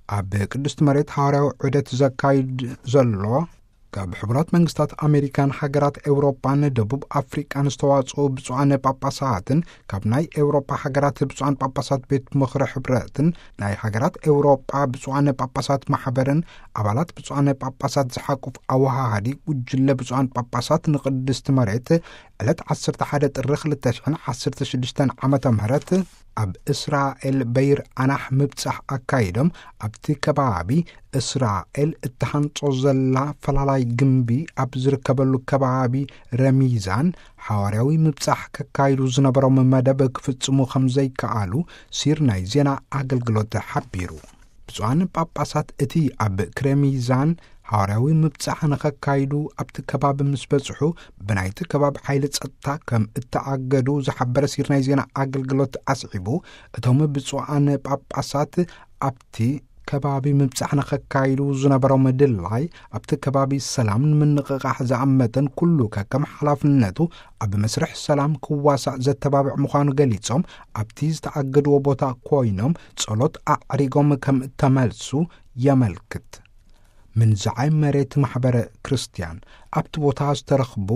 ኣብ ቅድስቲ መሬት ሓዋርያዊ ዑደት ዘካይድ ዘሎ፣ ካብ ሕቡራት መንግስታት ኣሜሪካን ሃገራት ኤውሮጳን ደቡብ ኣፍሪቃን ዝተዋጽኡ ብፁዓነ ጳጳሳትን፣ ካብ ናይ ኤውሮጳ ሃገራት ብፁዓን ጳጳሳት ቤት ምኽሪ ሕብረትን፣ ናይ ሃገራት ኤውሮጳ ብፁዓነ ጳጳሳት ማሕበርን፣ ኣባላት ብፁዓነ ጳጳሳት ዝሓቁፍ ኣወሃሃዲ ጉጅለ ብፁዓን ጳጳሳት ንቅድስቲ መሬት ዕለት ዓሰርተ ሓደ ጥሪ ክልተ ሽሕን ዓሰርተ ሽዱሽተን ዓመተ ምህረት ኣብ እስራኤል በይር ኣናሕ ምብጻሕ ኣካይዶም፣ ኣብቲ ከባቢ እስራኤል እትሃንጾ ዘላ ፈላላይ ግንቢ ኣብ ዝርከበሉ ከባቢ ረሚዛን ሓዋርያዊ ምብጻሕ ከካይዱ ዝነበሮም መደብ ክፍጽሙ ከም ዘይከኣሉ ሲር ናይ ዜና ኣገልግሎት ሓቢሩ። ብፁዓን ጳጳሳት እቲ ኣብ ክረሚዛን ሓዋርያዊ ምብጻሕ ንኸካይዱ ኣብቲ ከባቢ ምስ በጽሑ፣ ብናይቲ ከባቢ ሓይሊ ጸጥታ ከም እተኣገዱ ዝሓበረ ሲር ናይ ዜና ኣገልግሎት ኣስዒቡ፣ እቶም ብፁዓን ጳጳሳት ኣብቲ ከባቢ ምብጻሕ ንኸካይዱ ዝነበሮም ድላይ፣ ኣብቲ ከባቢ ሰላም ንምንቕቓሕ ዝኣመተን ኩሉ ከከም ሓላፍነቱ ኣብ መስርሕ ሰላም ክዋሳእ ዘተባብዕ ምዃኑ ገሊጾም፣ ኣብቲ ዝተኣገድዎ ቦታ ኮይኖም ጸሎት ኣዕሪጎም ከም እተመልሱ የመልክት። ምንዛዓይ መሬት ማሕበረ ክርስቲያን ኣብቲ ቦታ ዝተረኽቡ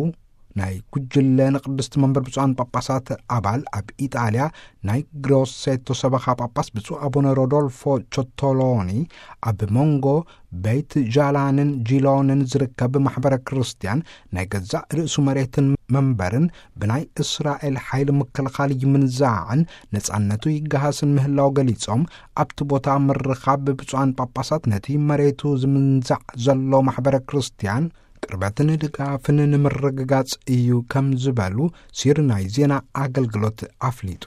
ናይ ጉጅለ ንቅድስቲ መንበር ብፁዓን ጳጳሳት ኣባል ኣብ ኢጣልያ ናይ ግሮሴቶ ሰበኻ ጳጳስ ብፁዕ ኣቡነ ሮዶልፎ ቾቶሎኒ፣ ኣብ መንጎ ቤት ጃላንን ጂሎንን ዝርከብ ማሕበረ ክርስቲያን ናይ ገዛእ ርእሱ መሬትን መንበርን ብናይ እስራኤል ሓይሊ ምክልኻል ይምንዛዕን ነጻነቱ ይገሃስን ምህላው ገሊጾም፣ ኣብቲ ቦታ ምርኻብ ብፁዓን ጳጳሳት ነቲ መሬቱ ዝምንዛዕ ዘሎ ማሕበረ ክርስቲያን ቅርበትን ድጋፍን ንምርግጋጽ እዩ ከም ዝበሉ ሲር ናይ ዜና ኣገልግሎት ኣፍሊጡ።